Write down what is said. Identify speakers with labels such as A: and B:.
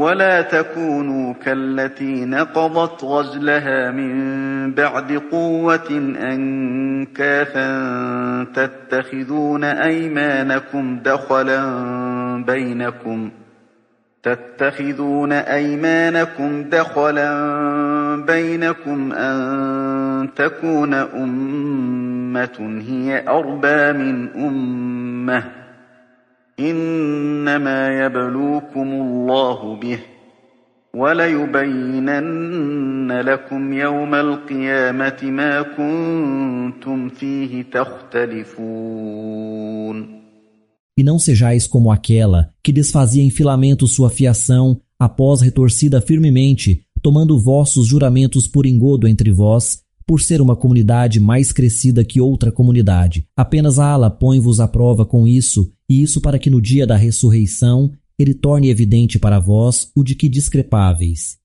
A: ولا تكونوا كالتي نقضت غزلها من بعد قوة أنكاثا تتخذون أيمانكم دخلا بينكم أن تكون أمة هي أربى من أمة إنما يبلوكم الله به وليبينن لكم يوم القيامة ما كنتم فيه تختلفون.
B: E não sejais como aquela que desfazia em filamentos sua fiação após retorcida firmemente, tomando vossos juramentos por engodo entre vós, por ser uma comunidade mais crescida que outra comunidade. Apenas Allah põe-vos à prova com isso, e isso para que no dia da ressurreição ele torne evidente para vós o de que discrepáveis.